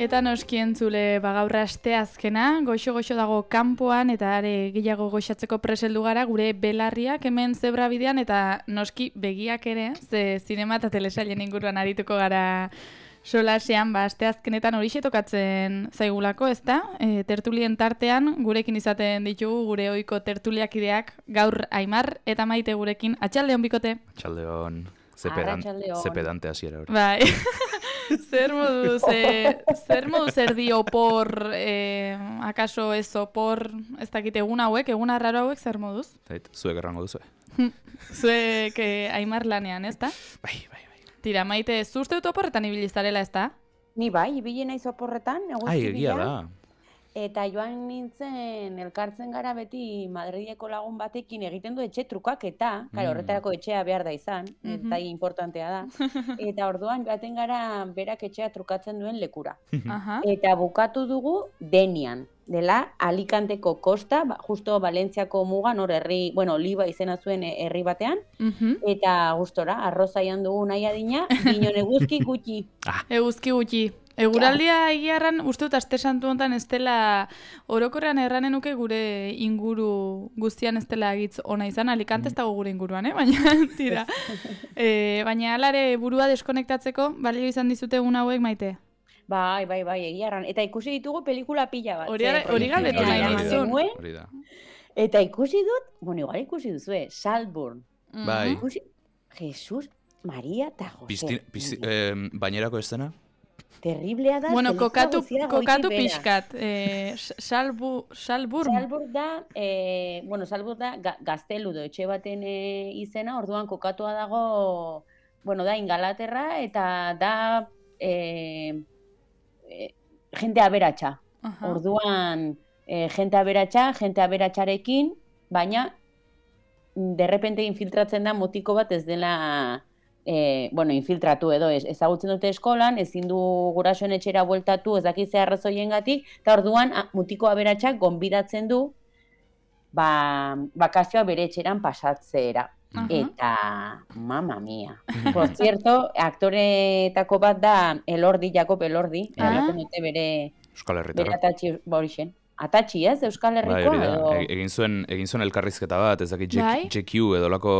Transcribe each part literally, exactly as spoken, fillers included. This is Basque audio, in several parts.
Eta noski entzule bagaur asteazkena, goxo-goxo dago kanpoan eta are gehiago goxatzeko preseldu gara gure belarriak hemen zebrabidean eta noski begiak ere, ze zinema eta telesailen inguruan arituko gara solasean, ba, asteazkenetan horixe tokatzen zaigulako, ezta? E, tertulien tartean gurekin izaten ditugu gure ohiko tertuliakideak gaur Aimar eta Maite gurekin. Atxaldeon bikote. Atxaldeon. Zepedan, zepedante hasiera hori. Bai. Zer moduz, eh, zer moduz erdi opor, eh, akaso ez opor, ez dakit egun hauek, egun arraro hauek zer moduz? Zait, zuek errango duzu. Zuek eh, Aimar lanean, ez da? Bai, bai, bai. Tira, Maite, zuzte dut oporretan ibilizarela, ez da? Ni bai, ibili naiz oporretan, eguzki Ai, egia da. Eta joan nintzen elkartzen gara beti Madrideko lagun batekin egiten du etxe trukaketa, mm. Karo, horretarako etxea behar da izan, mm-hmm. Eta importantea da. Eta orduan joaten gara berak etxea trukatzen duen lekura. Eta bukatu dugu Denian, dela Alicanteko kosta, ba, justo Valentziako mugan, hor herri, bueno, Oliba izena zuen herri batean, mm-hmm. Eta gustora, arrozaian dugu nahi adina, ginon eguzki gutxi. Ah. Eguzki gutxi. Eguraldia egiarran, uste dut aste santu honetan ez dela, orokorrean erranen nuke gure inguru guztian ez dela egitz ona izan, Alicante ez dago gure inguruan, eh? Baina, tira. e, baina alare burua deskonektatzeko, balio izan dizute egun hauek, Maite? Bai, bai, bai, egiarran. Eta ikusi ditugu pelikula pila bat. Hori galdetu nahi nizun. Eta ikusi dut, bueno, igual ikusi duzue, Saltburn. Bai. Ikusi, Jesus, Maria eta Jose. Eh, Bainerako estena? Terriblea da. Bueno, kokatu, kokatu pixkat. Eh, salbu, salbur. Salbur da, eh, bueno, salbur da ga, gaztelu do etxe baten eh, izena, orduan kokatua dago, bueno, da Ingalaterra eta da eh, eh, jente aberatsa. Uh-huh. Orduan, eh, jente aberatsa, jente aberatsarekin, baina derrepente infiltratzen da motiko bat ez dela... E, bueno, infiltratu edo ez, ezagutzen dute eskolan, ezin du gurasoen etxera bueltatu, ez dakit ze arrazoiengatik, eta orduan a, mutiko aberatsak gonbidatzen du ba, bakazioa bere etxeran pasatzera. Uh-huh. Eta, mama mia. Por cierto, aktoreetako bat da Elordi, Jakob Elordi, uh-huh. Eraten dute bere Euskal Herritarra. Bere atatxi borixen. Atatxi, ez? Euskal Herrikoa? Bai, edo... e, egin, zuen, egin zuen elkarrizketa bat, ez dakit J Q edo lako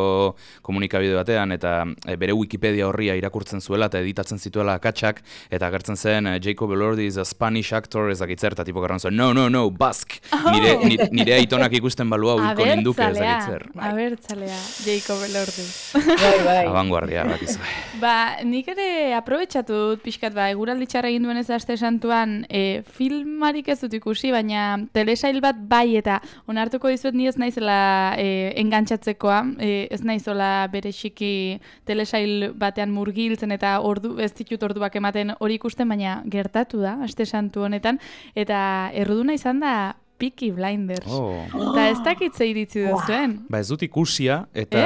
komunikabide batean, eta e, bere Wikipedia horria irakurtzen zuela eta editatzen zituela akatsak, eta agertzen zen Jacob Elordi is a Spanish actor, ez dakit zer, eta tipo garran zuen, no, no, no, Basque! Oh. Nire, nire, nire aitonak ikusten balua uiko ninduke, ez dakit zer. Bai. Abertzalea, Jacob Elordi. Bai, bai. Abanguardia, bat izan. Ba, nik ere aprobetxatu dut pixkat, ba, eguraldi txarra egin duen ez aste santuan, e, filmarik ez dut ikusi, baina telesail bat bai eta onartuko dizuet ni ez naizela e, engantxatzekoa, e, ez naizola berexiki telesail batean murgiltzen eta ordu ez ditut orduak ematen hori ikusten, baina gertatu da aste santu honetan eta erruduna izan da Peaky Blinders. Oh. Eta ez dakit ze iritzi duzuen. Ba ez dut ikusia, eta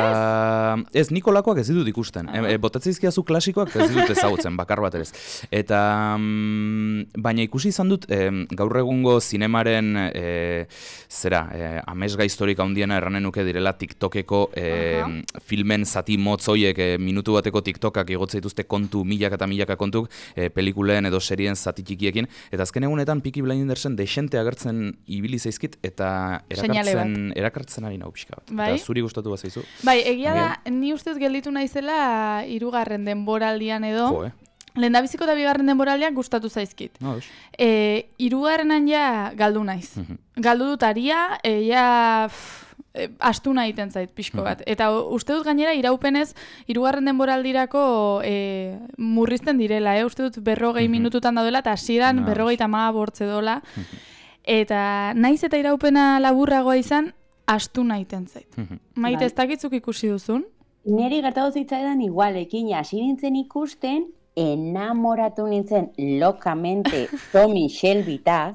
ez, ez Nikolakoak ez ditut ikusten. Ah. E, botatzen izkiazu klasikoak ez ditut ezagutzen, bakar bat ere. Eta, mm, baina ikusi izan dut, e, gaur egungo zinemaren, e, zera, e, amesga historika handiena erranen nuke direla TikTokeko e, uh-huh. filmen zati motzoiek e, minutu bateko TikTokak igotzen dituzte kontu, milaka eta milaka kontuk, e, pelikulen edo serien zati txikiekin. Eta azken egunetan Peaky Blindersen desente agertzen ibili zaizkit eta erakartzen, erakartzen ari nahu pixka bat. Bai? Eta zuri gustatu bat zaizu. Bai, egia da, ni ustez gelditu naizela hirugarren denboraldian edo. Jo, eh? Lehendabiziko eta bigarren denboraldiak gustatu zaizkit. No, e, hirugarrenan ja galdu naiz. Uh-huh. Galdu dut aria, e, ja... Pff, e, astu nahi iten zait pixko bat. Uh-huh. Eta uste dut gainera iraupenez hirugarren denboraldirako e, murrizten direla, eh? Uste dut berrogei uh-huh. minututan daudela eta hasieran no. berrogei tamaga bortze dola. Uh-huh. Eta naiz eta iraupena laburragoa izan, astu nahiten zait. Maite, ez dakitzuk ikusi duzun? Neri gertatu zitzaidan igualekin, hasi nintzen ikusten, enamoratu nintzen lokamente Tommy Shelbytaz,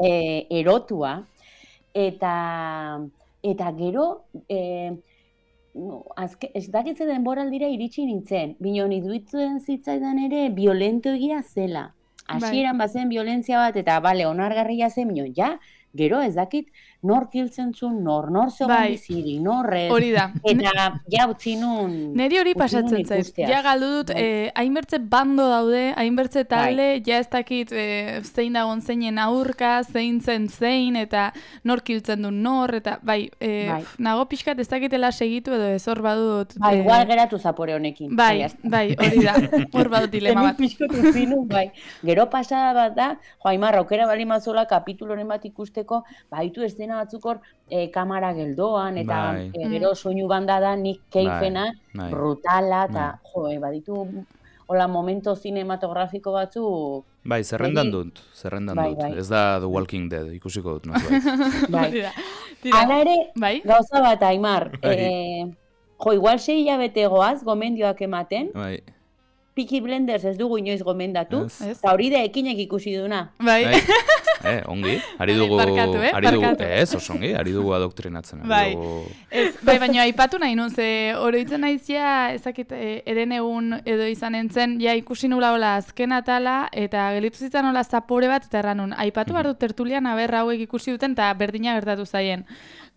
e, erotua, eta, eta gero, e, no, azke, ez dakitzen denboraldira iritsi nintzen, binon iduitzen zitzaidan ere violento egia zela. Hasieran bazen violentzia bat eta bale onargarria zen, mino, ja, gero ez dakit nor kiltzen zuen, nor, nor zegoen Bai. biziri, norrez. Hori da. Eta ja utzi nun... Neri hori utzi nun pasatzen zait. ikusteaz. Ja galdu dut, Bai. eh, hainbertze bando daude, hainbertze talde, ja ez dakit eh, zein dagon zeinen aurka, zein zen zein, eta nor kiltzen du nor, eta bai, eh, Bai. nago pixkat ez dakitela segitu edo ez hor badut. Bai, eh, igual geratu zapore honekin. Bai, bai, hori da, hor badut dilema Hemen bat. pixkot utzi nun, bai. Gero pasada bat da, jo, Aimar, aukera bali mazola kapituloren bat ikusteko, baitu eszena batzuk hor, e, kamara geldoan, eta Bai. e, gero soinu banda da Nick Cavena, bai. brutala, eta Bai. jo, e, baditu hola momento cinematografiko batzuk, Bai, zerrendan Egi- dut, zerrendan Bai, dut. bai. Ez da The Walking Dead, ikusiko dut, norbait. bai. Hori da. Tira, Hala ere, bai, gauza bat, Aimar, Bai. e, jo, igual sei hilabete goaz, gomendioak ematen, Bai. Peaky Blinders ez dugu inoiz gomendatu, Ez. Ez. eta hori da ekinek ikusi duna. bai. Bai. Eh, ongi, ari dugu, Barkatu, eh, ari dugu, barkatu. ez, oso ongi, ari dugu adoktrinatzen. ari Bai. dugu- Ez, bai, baina aipatu nahi nun, ze oroitzen naizia, ezakit, e, eren egun edo izan entzen, ja ikusi nula hola azken atala, eta gelitu zitzan hola zapore bat, eta erran nun, aipatu behar dut tertulian, aber hauek ikusi duten, eta berdina gertatu zaien.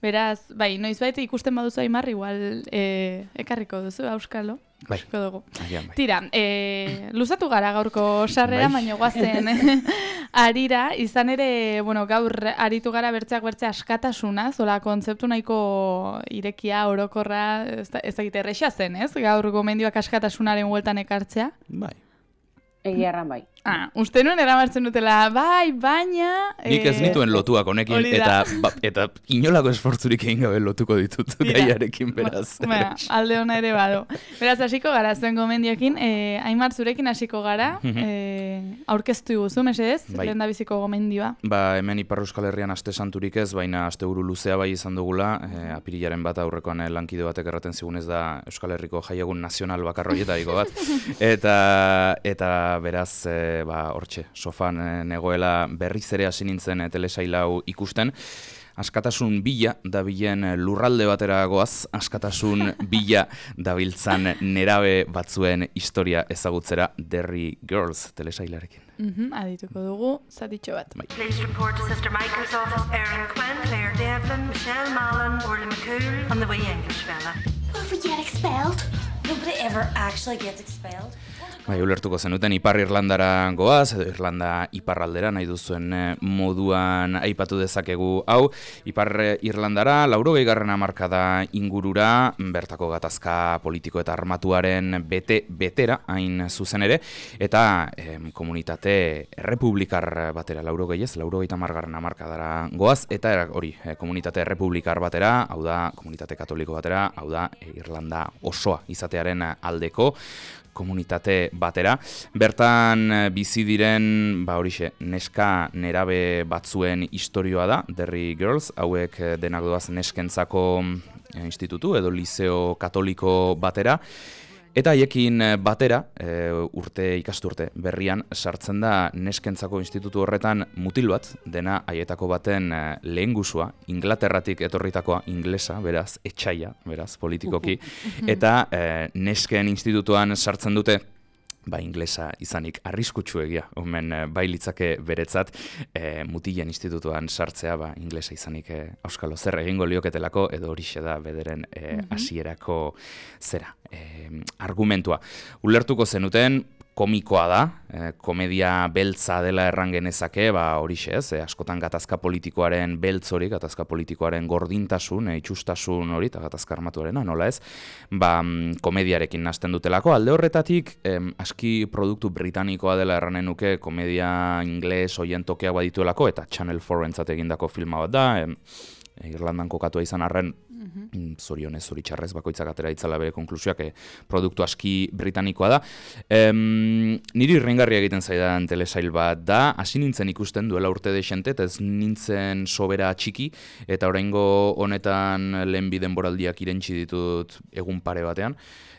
Beraz, bai, noizbait ikusten baduzu Aimar, igual e, ekarriko duzu, auskalo. Bai. Ikusiko dugu. Agian, bai. Tira, e, luzatu gara gaurko sarrera, Bai. baina guazen arira, izan ere, bueno, gaur aritu gara bertzeak bertze askatasuna, zola kontzeptu nahiko irekia, orokorra, ez da- ez dakit erresa zen, ez? Gaur gomendioak askatasunaren hueltan ekartzea. Bai. Egia erran bai. Ah, uste nuen eramartzen dutela, bai, baina... Nik ez eh, nituen lotuak honekin, hori eta, da. ba, eta inolako esfortzurik egin gabe lotuko ditut Tira. gaiarekin, beraz. Ba, alde ona ere bado. Beraz, hasiko gara zuen gomendioekin, eh, Aimar zurekin hasiko gara, eh, aurkeztu iguzu, mesedez, Bai. lehen da biziko gomendioa. Ba, hemen Ipar Euskal Herrian aste santurik ez, baina asteburu luzea bai izan dugula, e, apirilaren bat aurrekoan eh, lankide batek erraten zigun ez da Euskal Herriko jaiegun nazional bakarroietariko bat. Eta, eta beraz, e, ba, hortxe, sofan e, negoela berriz ere hasi nintzen e, telesail hau ikusten. Askatasun bila dabilen lurralde batera goaz, askatasun bila dabiltzan nerabe batzuen historia ezagutzera Derry Girls telesailarekin. Mhm, adituko dugu, zatitxo bat. Bai. Please report to Sister Michael's office, Erin Quinn, Claire Devlin, Michelle Mallon, Orly McCool, and the wee English fella. Will we get expelled? Nobody ever actually gets expelled. Bai, ulertuko zenuten Ipar Irlandara goaz, edo Irlanda iparraldera nahi duzuen eh, moduan aipatu dezakegu hau. Ipar Irlandara, laurogeigarren hamarkada ingurura, bertako gatazka politiko eta armatuaren bete betera, hain zuzen ere, eta em, komunitate errepublikar batera, laurogei ez, laurogeita hamargarren hamarkadara goaz, eta era- hori, eh, komunitate errepublikar batera, hau da, komunitate katoliko batera, hau da, eh, Irlanda osoa izatearen aldeko komunitate batera. Bertan eh, bizi diren, ba horixe, neska nerabe batzuen istorioa da, Derry Girls, hauek eh, denak doaz neskentzako eh, institutu edo liceo katoliko batera. Eta haiekin eh, batera, e, urte ikasturte berrian, sartzen da neskentzako institutu horretan mutil bat, dena haietako baten e, lehengusua, Inglaterratik etorritakoa, inglesa, beraz, etxaia, beraz, politikoki, eta e, nesken institutuan sartzen dute, ba, inglesa izanik arriskutsuegia, omen eh, bai litzake beretzat, e, mutilen institutuan sartzea, ba, inglesa izanik e, auskalo zer egingo lioketelako, edo horixe da bederen e, hasierako zera, e, argumentua. Ulertuko zenuten, komikoa da, e, komedia beltza dela erran genezake, ba horixe ez, e, askotan gatazka politikoaren beltz hori, gatazka politikoaren gordintasun, e, itxustasun hori, eta gatazka armatuarena, nola ez, ba mm, komediarekin nahasten dutelako. Alde horretatik, em, aski produktu britanikoa dela erranen nuke, komedia ingles hoien tokeak badituelako, eta Channel four entzat egindako filma bat da, em, Irlandan kokatua izan arren, mm, zorionez, zoritxarrez, bakoitzak atera itzala bere konklusioak, e, produktu aski britanikoa da. Em, niri irringarria egiten zaidan telesail bat da, hasi nintzen ikusten duela urte desente, eta ez nintzen sobera txiki, eta oraingo honetan lehen bi denboraldiak irentsi ditut egun pare batean.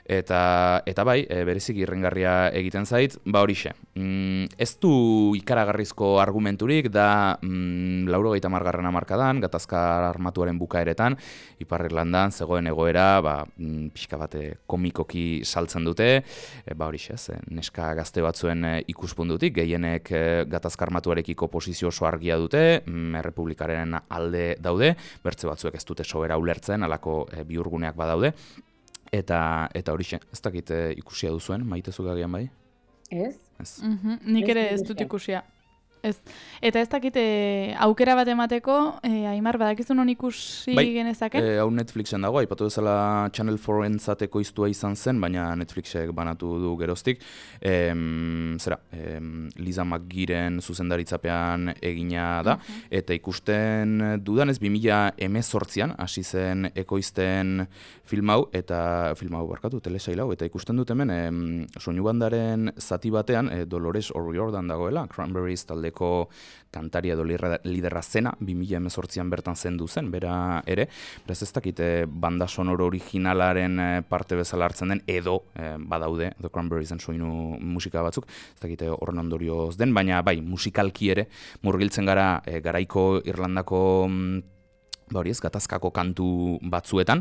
Eta, eta bai, e, bereziki irringarria egiten zait, ba horixe. Mm, ez du ikaragarrizko argumenturik, da mm, laurogeita hamargarren hamarkadan, gatazka armatuaren bukaeretan, Ipar Irlandan zegoen egoera, ba, mm, pixka bate komikoki saltzen dute, e, ba horixe, ez, neska gazte batzuen e, ikuspuntutik, gehienek e, gatazka armatuarekiko posizio oso argia dute, mm, Errepublikaren alde daude, bertze batzuek ez dute sobera ulertzen, halako e, bihurguneak badaude, eta eta horixe, ez dakit e, ikusia duzuen, maitezuk agian bai? Ez? Ez. Mhm, nik ere ez dut ikusia. Ez. Eta ez dakit eh, aukera bat emateko, eh, Aimar, badakizu non ikusi bai, genezake? Eh, hau Netflixen dago, aipatu bezala Channel four-entzat ekoiztua izan zen, baina Netflixek banatu du geroztik. Em, zera, em, Liza McGeeren zuzendaritzapean egina da, Mhm. eta ikusten dudanez bi mila hemezortzian hasi zen ekoizten film hau, eta film hau barkatu, telesail hau, eta ikusten dut hemen em, soinu bandaren zati batean, eh, Dolores O'Riordan dagoela, Cranberries taldeko kantaria edo liderra zena, bi mila hemezortzian bertan zendu zen, bera ere, beraz ez dakite banda sonoro originalaren eh, parte bezala hartzen den, edo eh, badaude, The Cranberriesen soinu musika batzuk, ez dakite horren ondorioz den, baina bai, musikalki ere, murgiltzen gara eh, garaiko Irlandako mm, ba hori ez, gatazkako kantu batzuetan,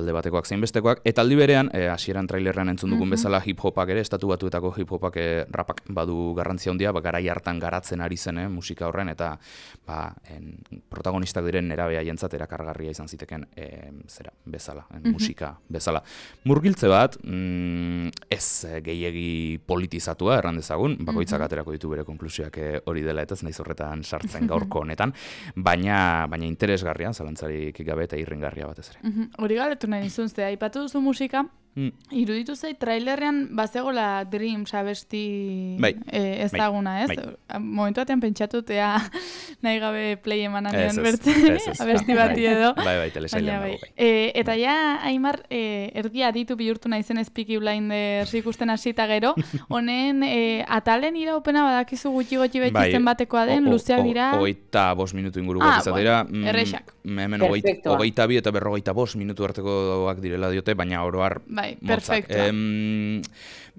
alde batekoak zein bestekoak, eta aldi berean, eh, hasieran trailerrean entzun dugun bezala hip-hopak ere, estatu batuetako hip-hopak eh, rapak badu garrantzia handia, ba, garai hartan garatzen ari zen eh, musika horren, eta ba, en, protagonistak diren nerabea jentzat erakargarria izan ziteken eh, zera, bezala, en, musika bezala. Murgiltze bat, mm, ez eh, gehiegi politizatua, erran dezagun, bakoitzak aterako ditu bere konklusioak eh, hori dela, eta ez naiz horretan sartzen gaurko honetan, baina, baina interesgarria, zalantzarik gabe eta irringarria batez ere. Mhm, hori galetu nahi nizun, ze aipatu duzu musika, Mm. iruditu zait trailerrean bazegola Dreams abesti Bai, eh, ezaguna, ez? bai. Momentu batean pentsatutea nahi gabe play eman Ez, anion ez, bertzen, ez, ez. abesti bati edo. Bai, bai, telesailean Baina dago, bai. E, eta ja, Aimar, e, erdi aditu bihurtu naizen Peaky Blinders ikusten hasita gero, honen e, atalen iraupena badakizu gutxi gutxi beti Bai, zenbatekoa den, o- o- luzeak o- dira. Hogeita bost minutu inguruko Ah, izatera. bueno, errexak. Hemen hogeita, Perfektoa. hogeita bi eta berrogeita bost minutu artekoak direla diote, baina oroar Bai, motzak. perfektua. Em,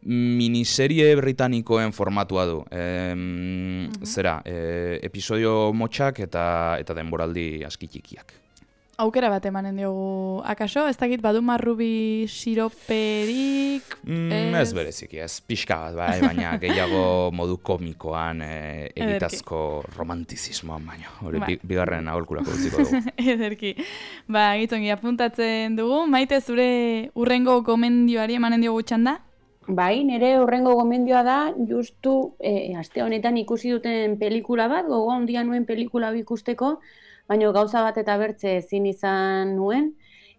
miniserie britanikoen formatua du. Em, Zera, e, episodio motxak eta eta denboraldi aski txikiak. Aukera bat emanen diogu, akaso, ez dakit badu marrubi siroperik... Mm, ez bereziki, ez pixka bat, bai, baina gehiago modu komikoan e, egitazko romantizismoan baino. Hori Bai. bi, bigarren aholkulako utziko dugu. Ederki. Ba, gitongi, apuntatzen dugu. Maite, zure urrengo gomendioari emanen diogu txanda? Bai, nire horrengo gomendioa da, justu e, aste honetan ikusi duten pelikula bat, gogo handia nuen pelikula hau ikusteko, baina gauza bat eta bertze ezin izan nuen.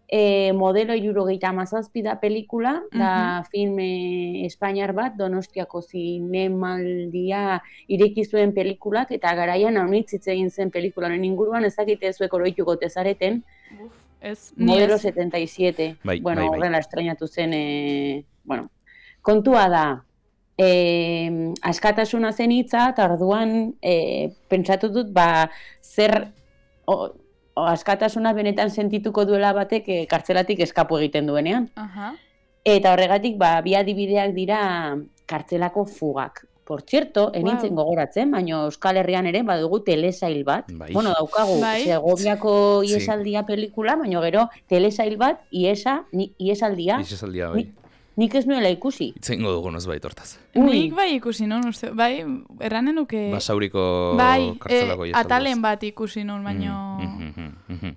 E, modelo hirurogeita hamazazpi da pelikula, da filme espainiar bat, Donostiako zinemaldia ireki zuen pelikulak, eta garaian haunitz hitz egin zen pelikularen inguruan, ez dakite zuek oroituko tezareten, Ez, ni modelo ez. setenta y siete. Bai, bueno, bai, bai. horrela estrenatu zen, e, bueno, kontua da, e, askatasuna zen hitza, eta orduan e, pentsatu dut, ba, zer o, o, askatasuna benetan sentituko duela batek e, kartzelatik eskapu egiten duenean. Aha. Eta horregatik, ba, bi adibideak dira kartzelako fugak. Por cierto, enintzen Wow. gogoratzen, baina Euskal Herrian ere badugu telesail bat. Bai. Bueno, daukagu Bai. Segoviako Sí. iesaldia pelikula, baina gero telesail bat, iesa, ni, iesaldia, Ixesaldia, bai. Ni- nik ez nuela ikusi. Itzengo dugu nozbait hortaz. Ui. Nik bai ikusi nun, uste, bai, erranen nuke... Basauriko bai, kartzelako eh, iesaldaz. atalen bat ikusi nun, baino... Mm, mhm, mhm.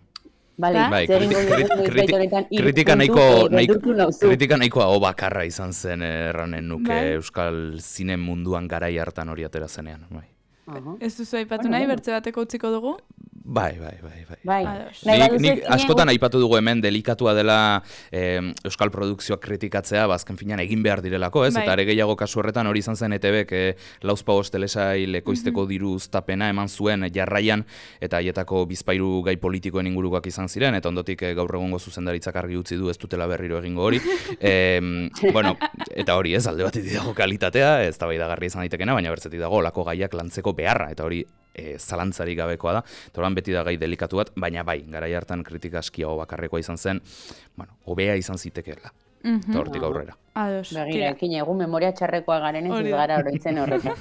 Bale, Ba? Bai, zer kriti- egingo dugu kriti- noizbait kriti- honetan, hiru kritika puntu, nahiko, eh, nahiko, beldurtu nauzu. kritika nahiko hau bakarra izan zen eh, erranen nuke Bai. Euskal zine munduan garai hartan hori atera zenean. Bai, Aha. Ez duzu aipatu Bueno, nahi, bueno. bertze bateko utziko dugu? bai, bai, bai. bai. Bai, Ados. nahi Nik, baduzu nik ekinen- askotan aipatu dugu hemen delikatua dela eh, Euskal produkzioak kritikatzea, bazken finean egin behar direlako, ez? Bai. Eta are gehiago kasu horretan hori izan zen E T Bek eh, lauzpabost telesail ekoizteko diru uztapena eman zuen jarraian, eta haietako bizpairu gai politikoen ingurukoak izan ziren, eta ondotik eh, gaur egungo zuzendaritzak argi utzi du ez dutela berriro egingo hori. Em, bueno, eta hori ez, alde batetik dago kalitatea, ez da baidagarri izan daitekena, baina bertzetik dago olako gaiak lantzeko beharra, eta hori e, zalantzarik gabekoa da. Eta orduan beti da gai delikatu bat, baina bai, garai hartan kritika aski hau bakarrekoa izan zen, bueno, hobea izan zitekeela. eta hortik aurrera. Ados. Begira, ekin egun memoria txarrekoa garen ez Hori ez da. gara oroitzen horretan.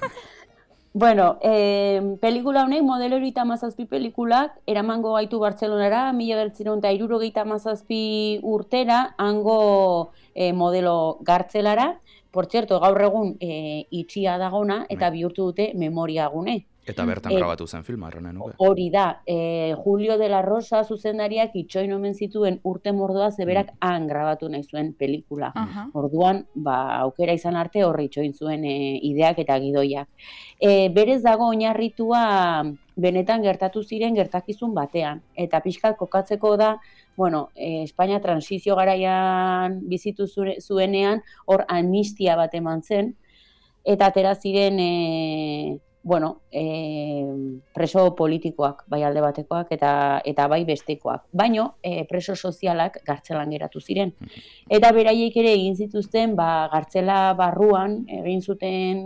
Bueno, eh, pelikula honek modelo hirurogeita hamazazpi pelikulak eramango gaitu Bartzelonara, mila bederatziehun eta hirurogeita hamazazpi urtera, hango eh, modelo gartzelara. Por cierto, gaur egun eh, itxia dagona eta bihurtu dute memoria gune. Eta bertan Eh, grabatu zen filma, erranen nuke. Hori da, eh, Julio de la Rosa zuzendariak itxoin omen zituen urte mordoa zeberak han grabatu nahi zuen pelikula. Aha. Orduan, ba, aukera izan arte horri itxoin zuen e, ideak eta gidoiak. E, berez dago oinarritua benetan gertatu ziren gertakizun batean. Eta pixkat kokatzeko da, bueno, e, Espainia transizio garaian bizitu zure, zuenean, hor amnistia bat eman zen, eta atera ziren, e, bueno, e, preso politikoak, bai alde batekoak eta eta bai bestekoak. Baino, e, preso sozialak gartzelan geratu ziren. Eta beraiek ere egin zituzten, ba, gartzela barruan, egin zuten,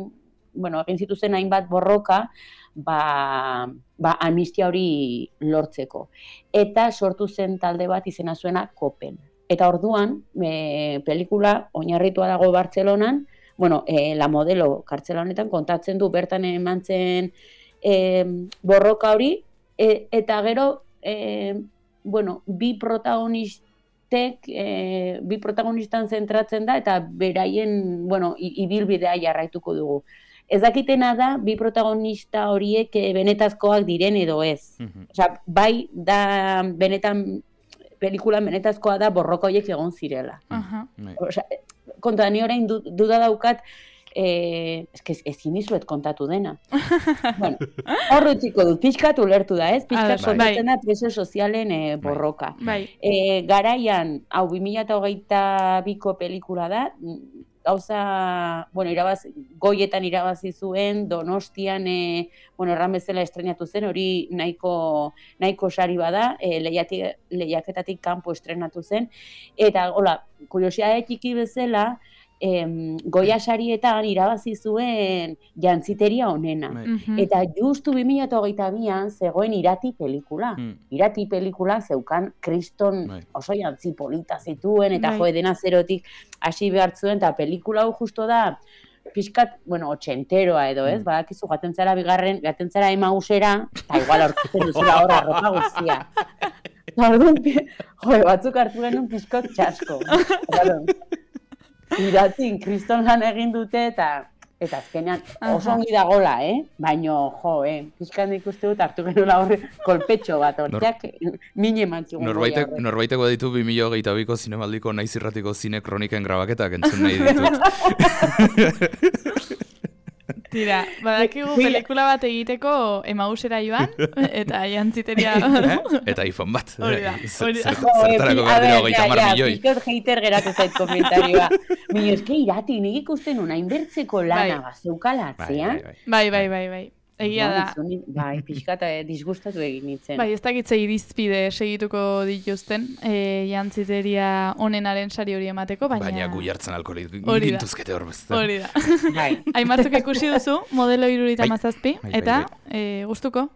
bueno, egin zituzten hainbat borroka, ba, ba amnistia hori lortzeko. Eta sortu zen talde bat izena zuena Kopen. Eta orduan, e, pelikula oinarritua dago Bartzelonan, bueno, eh, la modelo kartzela honetan kontatzen du bertan eman zen eh, borroka hori, e, eta gero, eh, bueno, bi protagonistek, eh, bi protagonistan zentratzen da, eta beraien, bueno, ibilbidea jarraituko dugu. Ez dakitena da, bi protagonista horiek benetazkoak diren edo ez. Mhm. Osea, bai da benetan, pelikulan benetazkoa da borroka horiek egon zirela. Aha. Bai. Osea, konta, ni orain du, duda daukat, eh, eske ezin dizuet kontatu dena. Bueno, hor utziko dut, pixkat ulertu da, ez? Pixkat Bai. kontatzen da preso sozialen eh, borroka. Bai. E, garaian, hau bi mila hogeita biko pelikula da, gauza, bueno, irabaz, goietan irabazi zuen, Donostian, e, bueno, erran bezala estrenatu zen, hori nahiko, nahiko sari bada, e, lehiati, lehiaketatik kanpo estrenatu zen, eta, hola, kuriosidade txiki bezala, em, Goya sarietan irabazi zuen jantziteria onena. Bai. Mhm. Eta justu bi mila hogeita bian zegoen Irati pelikula. Mm. Irati pelikula zeukan kriston Bai. oso jantzi polita zituen, eta Bai. jo edena zerotik hasi behar zuen, eta pelikula hau justo da, pixkat, bueno, otxenteroa edo, ez? Mm. Badakizu, gaten zara bigarren, gaten zara Emausera, eta igual aurkitzen duzula horra ropa guztia. Eta orduan, pi- jo, batzuk hartu genuen pixkot txasko. Claro. Iratin, kriston lan egin dute, eta eta azkenean oso Aha. ongi dagola, eh? Baino, jo, eh? Pixkan ikuste dut hartu genuela horre kolpetxo bat, hortzeak mine eman zigun. Norbaitek, norbaiteko ditu bi mila hogeita biko zinemaldiko naiz irratiko zine kroniken grabaketak entzun nahi ditut. Tira, badakigu pelikula bat egiteko Emausera joan, eta jantziteria... Eta iPhone bat. Hori da, hori da. Zert- Zertarako behar dira hogeita hamar milioi. Pixkot hater geratu zait komentarioa. Mino, eske Irati, nik ikusten una inbertzeko lana Bai. bazeukala Bai, atzean. bai, bai. Bai, bai, bai, bai. Egia da. Bai, pixkat eh, disgustatu egin nintzen. Bai, ez dakitze irizpide segituko dituzten, e, jantziteria onenaren sari hori emateko, baina... Baina gu jartzen alkoholik Hori da. gintuzkete hor bezta. Hori da. Bai. Hainbatzuk ikusi duzu, modelo irurogeita Bai. hamazazpi, Bai, bai, eta bai. e, gustuko?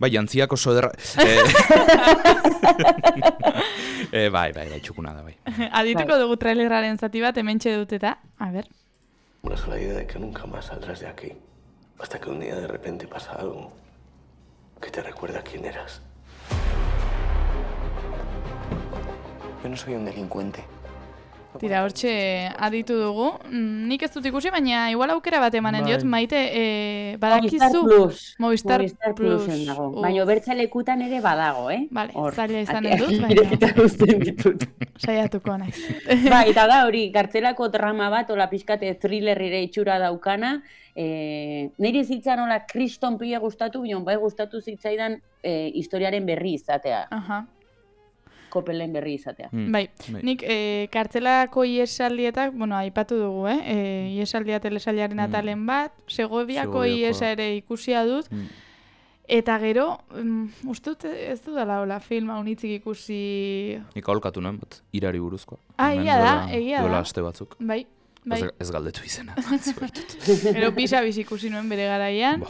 Bai, jantziak oso derra... eh, eh, bai, bai, bai, txukuna da, bai. Adituko Bai. dugu trailerraren zati bat, hementxe dut eta, a ber. Una sola idea de que nunca más saldrás de aquí. Hasta que un día de repente pasa algo que te recuerda quién eras. Yo no soy un delincuente. Tira, hortxe aditu dugu. Mm, Nik ez dut ikusi, baina igual aukera bat emanen Bai. diot, maite, e, Movistar badakizu... Plus. Movistar Movistar Plus. Plusen dago. Uf. Baina bertxalekutan ere badago, eh? Vale, Hor. zaila izanen Ate- dut, baina- irekita uzten ditut. Saiatuko naiz. Bai, eta da hori, kartzelako drama bat, ola pixkate thrillerrire itxura daukana, e, niri zitzan ola kriston pila gustatu, bion bai gustatu zitzaidan e, historiaren berri izatea, Aha. Kopelen berri izatea. Mm. Bai, Bai. nik e, kartzelako iesaldietak, bueno, aipatu dugu, eh? E, iesaldia telesailaren atalen bat, Segoviako Segoviako. iesa ere ikusia dut, Mm. eta gero, um, uste dut ez dudala hola filma unitzik ikusi... Nik aholkatu nuen, bat, irari buruzkoa. Ah, Hemen egia da, duela- egia Duela da. aste batzuk. Bai, Bai. Ez, ez galdetu izena. Gero pisa bizi ikusi nuen bere garaian,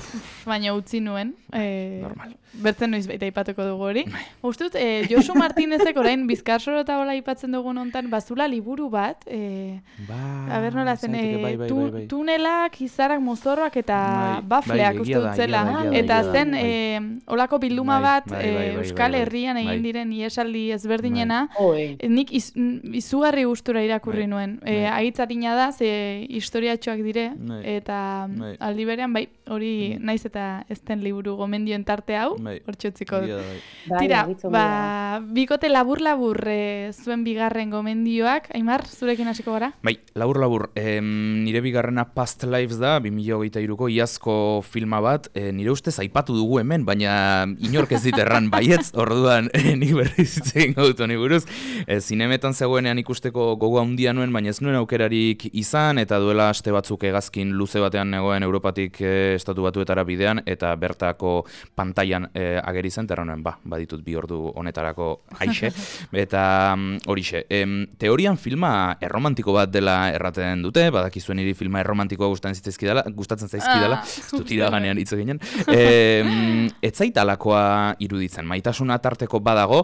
baina utzi nuen. E, Normal. Bertzen noiz baita aipatuko dugu hori. Uste dut, e, Josu Martinezek orain Bizkarsoro eta hola aipatzen dugun hontan bazula liburu bat, e, Ba, a ber nola zen, zaiteke, bai, bai, tu, bai, bai. tunelak, izarak, mozorroak eta Bai, bafleak bai, uste egia dut da, zela. egia da, egia da, Eta egia da, zen, bai. e, olako bilduma Bai, bat bai, e, bai, bai, Euskal bai, bai. Herrian egin Bai. diren iesaldi ezberdinena, Oi. E, nik iz, n- izugarri gustura irakurri Bai, nuen. E, bai. Aitzarina da, ze historiatxoak dire, Bai. eta Bai. aldi berean, bai, hori Mm. naiz eta ez den liburu gomendioen tarte hau, Bai. hortxe utziko Egia dut. da, bai. Bai, Tira, argitzu ba, da. bikote labur-labur e, zuen bigarren gomendioak. Aimar, zurekin hasiko gara? Bai, labur labur, em, nire bigarrena Past Lives da, bi mila hogeita hiruko iazko filma bat, e, nire ustez aipatu dugu hemen, baina inork ez dit erran baietz, orduan e, nik berriz hitz egingo dut honi buruz. E, zinemetan zegoenean ikusteko gogo handia nuen, baina ez nuen aukerarik izan, eta duela aste batzuk hegazkin luze batean negoen Europatik e, estatu batuetara bidean, eta bertako pantailan e, ageri zen, terra nuen, ba, baditut bi ordu honetarako aixe, eta mm, horixe. Em, teorian filma erromantiko bat dela erraten dute, badakizuen niri filma erromantikoa gustatzen zitzaizkidala, gustatzen zaizkidala, Ah, ez dut iraganean hitz eginen. Em, ez zait alakoa iruditzen, maitasuna tarteko badago,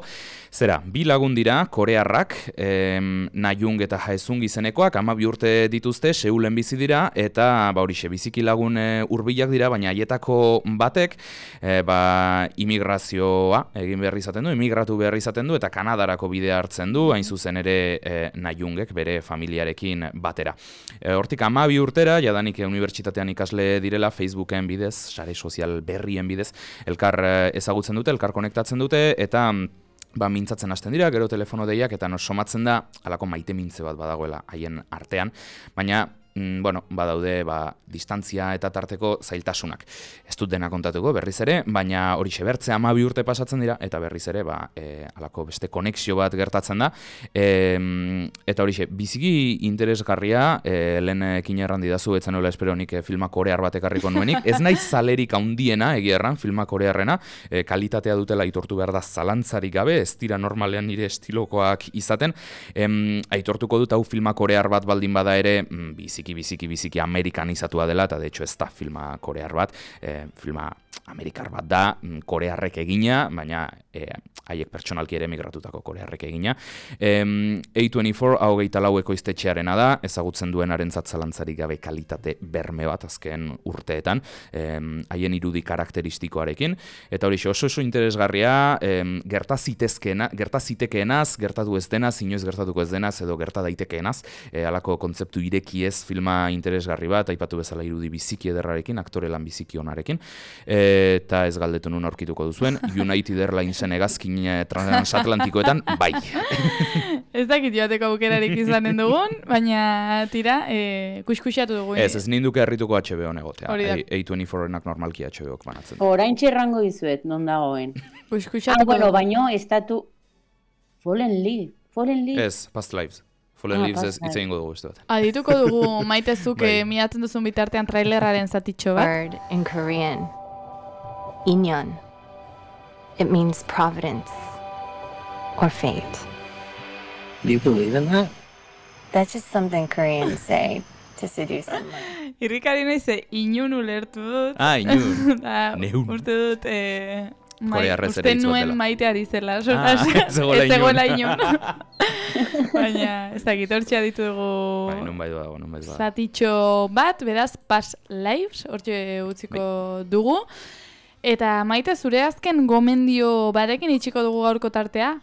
zera, bi lagun dira, korearrak, em, Nayung eta Haesung izenekoak, hamabi urte dituzte, Seulen bizi dira, eta ba horixe, biziki lagun e, hurbilak dira, baina haietako batek, e, ba, imigrazioa egin behar izaten du, imigratu behar izaten du, eta Kanadarako bidea hartzen du, hain zuzen ere e, Nayungek bere familiarekin batera. E, hortik hamabi urtera, jadanik e, unibertsitatean ikasle direla, Facebooken bidez, sare sozial berrien bidez, elkar e, ezagutzen dute, elkar konektatzen dute, eta ba, mintzatzen hasten dira, gero telefono deiak, eta nos somatzen da, halako maite mintze bat badagoela haien artean, baina mm, bueno, badaude ba, distantzia eta tarteko zailtasunak. Ez dut dena kontatuko berriz ere, baina horixe bertze hamabi urte pasatzen dira, eta berriz ere, ba, e, halako beste konexio bat gertatzen da, e, eta horixe, biziki interesgarria, e, lehenekin erran didazu, etzen nola espero nik e, filma korear bat ekarriko nuenik, ez naiz zalerik handiena, egia erran, filma korearrena, e, kalitatea dutela aitortu behar da zalantzarik gabe, ez dira normalean nire estilokoak izaten, em, aitortuko dut hau filma korear bat baldin bada ere, mm, biziki, biziki, biziki amerikanizatua dela, eta de hecho ez da filma korear bat, e, filma amerikar bat da, mm, korearrek egina, baina e, haiek pertsonalki ere migratutako korearrek egina. E, A veinticuatro, hau gehieta lau ekoiztetxearena da, ezagutzen duenaren zatzalantzarik gabe kalitate berme bat azken urteetan, e, haien irudi karakteristikoarekin, eta hori oso oso interesgarria, e, gerta zitezkeena, gerta zitekeenaz, gertatu ez denaz, inoiz gertatuko ez denaz, edo gerta daitekeenaz, e, halako kontzeptu ireki ez filma interesgarri bat, aipatu bezala irudi biziki ederrarekin, aktore lan biziki onarekin, e, eta ez galdetu nun aurkituko duzuen, United Airlinesen hegazkin e, transatlantikoetan, bai. Ez dakit joateko aukerarik izanen dugun, baina tira, e, kuskusiatu dugu. Ez, ez ninduke herrituko H B O negotea, Hori da. A veinticuatro-enak normalki H B Ok banatzen. Orain txerrango dizuet, non dagoen. Ah, Kuskusiatuko bueno, dugu. baino, estatu... Fallen League, Fallen League. Ez, Past Lives. Fallen Ah, Leaves ez Past hitz Lives. egingo dugu beste bat. Adituko dugu maitezuk Bai. eh, miatzen duzun bitartean trailerraren zatitxo bat. Word in Korean. Inyeon. It means providence or fate. Do you believe in that? That's just something Koreans say to seduce someone. Irrikari naiz ze inun ulertu dut. Ah, inun. Da, Neun. uste dut, eh, mai, Korearrez ere uste hitz bat nuen dela. maiteari zela. Ah, solas. ez zegoela Ez zegoela inun. inun. Baina, ez dakit, hortxe aditu dugu Bai, nun bai dago, nun bai dago. zatitxo bat, beraz, Past Lives, hortxe utziko Bai. dugu. Eta maite, zure azken gomendio batekin itxiko dugu gaurko tartea?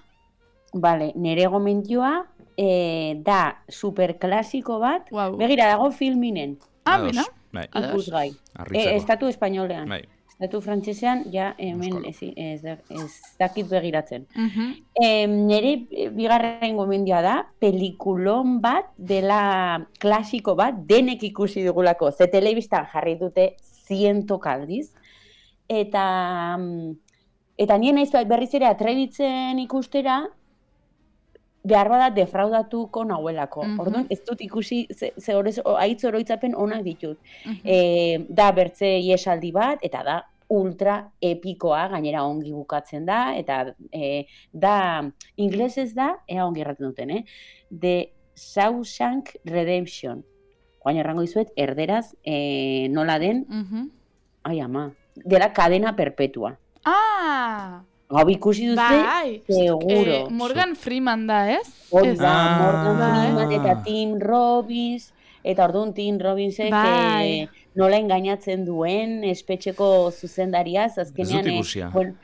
Vale, nere gomendioa eh, da superklasiko bat, Wow. begira dago filminen, Ah, Ados, bina. bai, Ados. ikusgai. harritzeko. E, estatu espainolean. Bai. Estatu frantsesean, ja, hemen Euskal. ez, ez, da- ez dakit begiratzen. Mhm. E, nere eh, bigarren gomendioa da, pelikulon bat dela klasiko bat, denek ikusi dugulako, ze telebistan jarri dute zientok aldiz, eta, mm, eta nien naiz berriz ere atrebitzen ikustera, behar bada defraudatuko nahuelako. Mhm. Orduan, ez dut ikusi, ze, ze horrez, o- haitz oroitzapen onak ditut. Mhm. E, da bertze iesaldi bat, eta da ultra epikoa, gainera ongi bukatzen da, eta e, da, inglesez da, ea ongi erraten duten, eh? The Shawshank Redemption. Joan errango izuet, erderaz e, nola den, Mhm. ai ama, dela kadena perpetua. Ah! Hau ikusi duzu, Bai, seguro. eh, Morgan Freeman da, ez? Hori Ez. da, Ah. Morgan Freeman Bai. eta Tim Robbins, eta orduan Tim Robbinsek Bai. eh, nola engainatzen duen espetxeko zuzendariaz, Ez azkenean, dut eh, ikusia. bueno,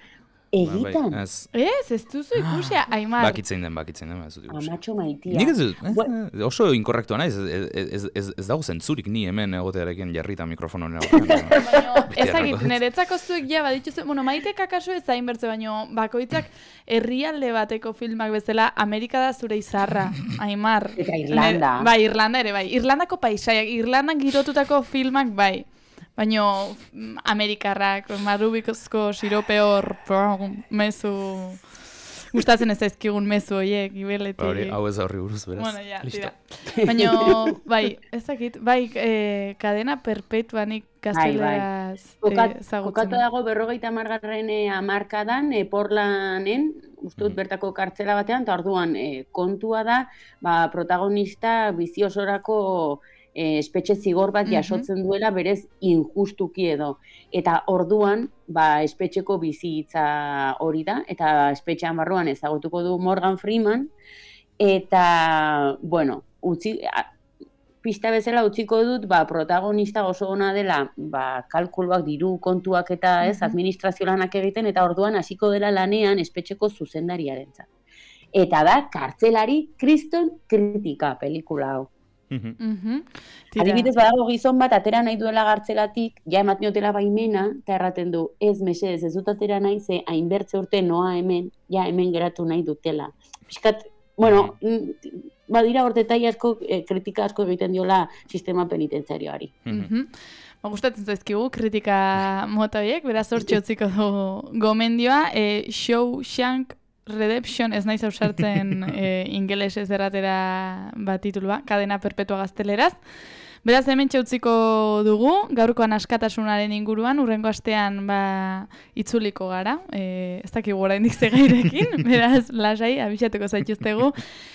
egitan, Bai, ez. Ez, ez duzu ikusia, Aimar. Bakitzen den, bakitzen den, ez dut ikusi. amatxo maitia. Nik ez dut, eh, Bueno. oso inkorrektua naiz, ez, ez, ez, ez dago zentzurik ni hemen egotearekin jarrita mikrofono honen aurrean. Baina, Beti ezagit, errako dut. niretzako zuek ja badituzu, bueno, maitek akaso ez hain bertze, baino bakoitzak herrialde bateko filmak bezala, Amerika da zure izarra, Aimar. Eta Irlanda. Nire- Bai, Irlanda ere, bai. Irlandako paisaiak, Irlandan girotutako filmak, bai. Baino, mm, Amerikarrak, marrubikozko sirope hor, mezu... Gustatzen ez zaizkigun mezu horiek, gibeletik. Hori, hau ez horri buruz, beraz. Bueno, ja, Listo. tira. Baina, bai, ez dakit, bai, eh, kadena perpetua nik gazteleraz Kokat, eh, ezagutzen. kokatu dago berrogeita hamargarren eh, hamarkadan, eh, Portlanen, uste dut bertako kartzela batean, eta orduan eh, kontua da, ba, protagonista bizi osorako eh, espetxe zigor bat Mhm. jasotzen duela berez injustuki edo. Eta orduan, ba, espetxeko bizitza hori da, eta espetxean barruan ezagutuko du Morgan Freeman, eta, bueno, utzi, a, pista bezala utziko dut, ba, protagonista oso ona dela, ba, kalkuluak, diru kontuak eta ez, Mhm. administrazio lanak egiten, eta orduan hasiko dela lanean espetxeko zuzendariarentzat. Eta da, kartzelari kriston kritika pelikula hau. Mhm. Mhm. Tira. Adibidez, badago gizon bat atera nahi duela gartzelatik, ja ematen dutela baimena, eta erraten du, ez mesedez, ez dut atera nahi, ze hainbertze urte noa hemen, ja hemen geratu nahi dutela. Piskat, bueno, mm, badira hortetai asko, eh, kritika asko egiten diola sistema penitenziarioari. Mhm. Ba, gustatzen zaizkigu kritika mota horiek, beraz hortxe utziko du gomendioa, e, Shawshank Redemption, ez naiz ausartzen e, ingelesez erratera bat titulua, kadena perpetua gazteleraz. Beraz, hemen utziko dugu, gaurkoan askatasunaren inguruan, urrengo astean ba, itzuliko gara, e, ez dakigu oraindik zegairekin, beraz, lasai, abixatuko zaituztegu.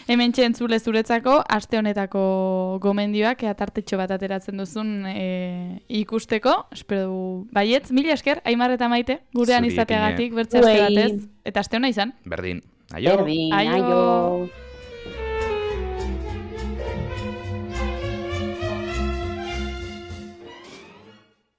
Hemen entzule zuretzako, aste honetako gomendioak, ea tartetxo bat ateratzen duzun e, ikusteko, espero du, baietz, mila esker, Aimar eta Maite, gurean Zuri, izateagatik, Epine. bertze aste Zuei. batez, eta aste hona izan. Berdin. Aio. Berdin, Aio. aio.